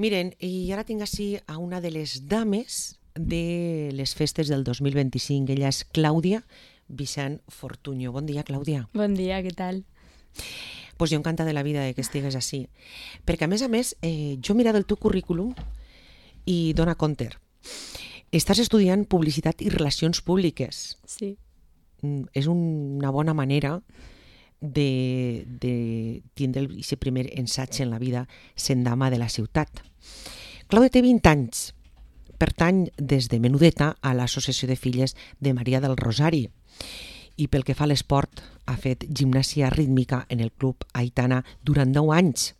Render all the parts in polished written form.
Miren, i ara tinc així a una de les dames de les festes del 2025. Ella és Clàudia Vicent Fortuño. Bon dia, Clàudia. Bon dia, què tal? Pues jo encantada de la vida de que estigues així. Perquè, a més, jo he mirat el teu currículum i dona compte. Estàs estudiant Publicitat i Relacions Públiques. Sí. És una bona manera de tindre aquest primer ensaig en la vida sent dama de la ciutat. Clàudia té 20 anys. Pertany des de menudeta a l'Associació de Filles de Maria del Rosari i pel que fa a l'esport ha fet gimnàsia rítmica en el Club Aitana durant 10 anys.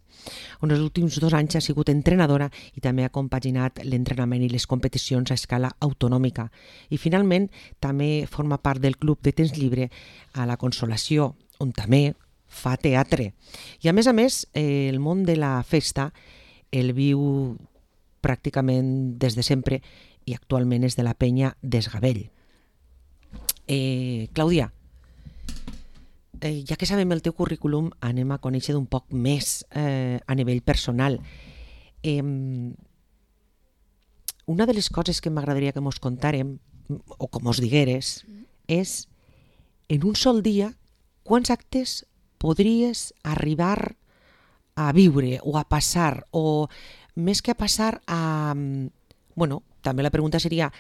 En els últims 2 anys ha sigut entrenadora i també ha compaginat l'entrenament i les competicions a escala autonòmica. I finalment també forma part del Club de Temps Llibre a la Consolació, on també fa teatre. I a més, el món de la festa el viu pràcticament des de sempre i actualment és de la penya d'Esgavell. Clàudia, ja que sabem el teu currículum, anem a conèixer d'un poc més a nivell personal. Una de les coses que m'agradaria que mos contàrem, o que mos digueres, és en un sol dia quants actes podries arribar a viure o a passar, o més que a passar a... Bueno, també la pregunta seria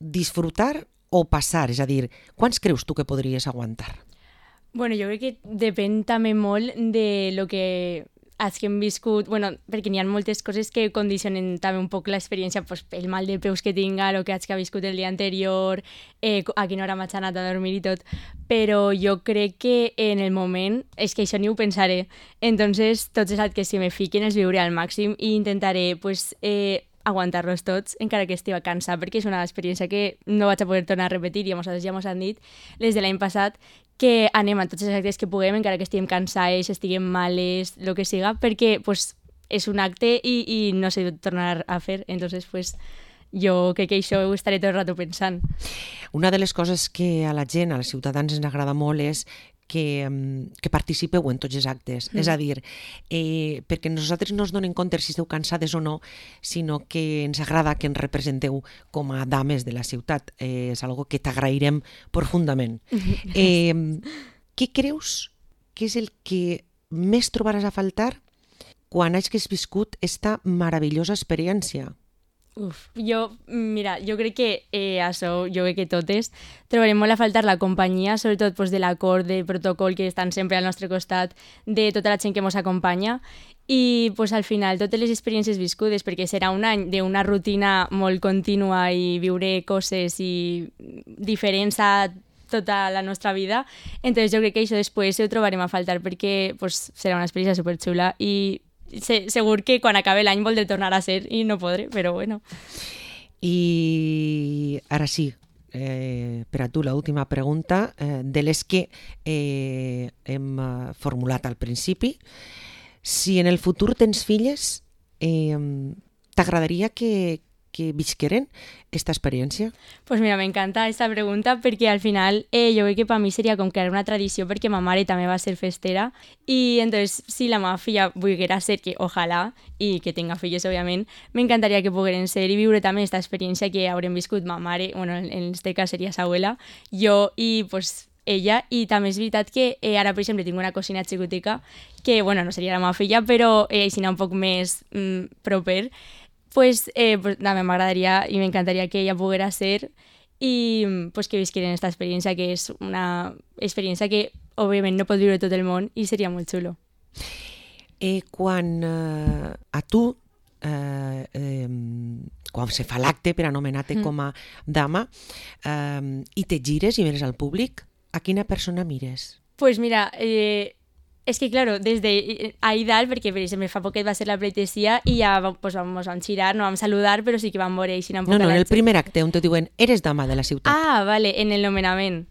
disfrutar o passar, és a dir, quants creus tu que podries aguantar? Bueno, jo crec que depèn també molt de lo que hagin viscut, bueno, perquè n'hi ha moltes coses que condicionen també un poc l'experiència, pues, el mal de peus que tinga, el que hagi viscut el dia anterior, a quina hora m'haig anat a dormir i tot, però jo crec que en el moment, és que això ni ho pensaré, entonces tots els actes que me fiquen els viuré al màxim i intentaré, pues, aguantar-los tots, encara que estigui cansat, perquè és una experiència que no vaig a poder tornar a repetir, i ja mos han dit, les de l'any passat, que anem a tots els actes que puguem, encara que estiguem cansades, estiguem males, el que siga, perquè pues, és un acte i no sé tornar a fer, entonces pues, jo crec que això ho estaré tot el rato pensant. Una de les coses que a la gent, als ciutadans ens agrada molt és que participeu en tots els actes. És a dir, perquè nosaltres no ens donem compte si esteu cansades o no, sinó que ens agrada que ens representeu com a dames de la ciutat. És algo que t'agrairem profundament. Què creus que és el que més trobaràs a faltar quan hagis viscut esta meravellosa experiència? Jo crec que això, jo crec que totes trobarem molt a faltar la companyia, sobretot pues, de l'acord, de protocol que estan sempre al nostre costat, de tota la gent que ens acompanya i pues, al final totes les experiències viscudes, perquè serà un any d'una rutina molt contínua i viure coses i diferents a tota la nostra vida, entonces jo crec que això després ho trobarem a faltar perquè pues, serà una experiència superxula i segur que quan acabi l'any voldré tornar a ser i no podré, però bueno. I ara sí, per a tu l'última pregunta, de les que hem formulat al principi. Si en el futur tens filles, t'agradaria que visqueren esta experiència? Pues mira, m'encanta aquesta pregunta perquè al final jo crec que per mi seria com crear una tradició perquè ma mare també va ser festera i entonces si la meva filla volguera ser, que ojalà i que tenga filles òbviament, m'encantaria que pogueren ser i viure també aquesta experiència que haurem viscut ma mare, bueno, en este cas seria sa abuela, jo i pues ella, i també és veritat que ara per exemple tinc una cosina xicotica que bueno, no seria la meva filla però si no un poc més proper, pues també m'agradaria i m'encantaria que ella poguera ser i pues, que visqueren aquesta experiència, que és una experiència que òbviament no pot viure tot el món i seria molt xulo. Quan a tu, quan se fa l'acte per anomenar-te com a dama i te gires i mires al públic, a quina persona mires? Pues mira, és que, claro, des d'ahir dalt, perquè per exemple fa poquet va ser la pleitesía i ja pues, ens vam girar, no vam saludar, però sí que vam veure així un poc. No, en el primer acte on te diuen, eres dama de la ciutat. Ah, vale, en el nomenament.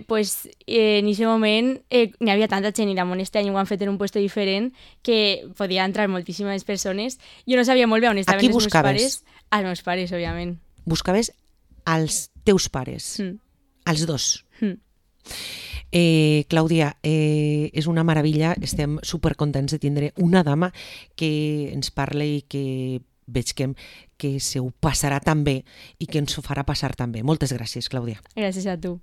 Pues en aquest moment n'hi havia tanta gent i l'Amon este any ho han fet en un puesto diferent que podia entrar moltíssimes persones. Jo no sabia molt bé on estaven els meus pares. Els meus pares, òbviament. Buscaves als teus pares, als dos. Clàudia, és una meravella, estem supercontents de tindre una dama que ens parli i que veig que se ho passarà tan bé i que ens ho farà passar tan bé. Moltes gràcies, Clàudia. Gràcies a tu.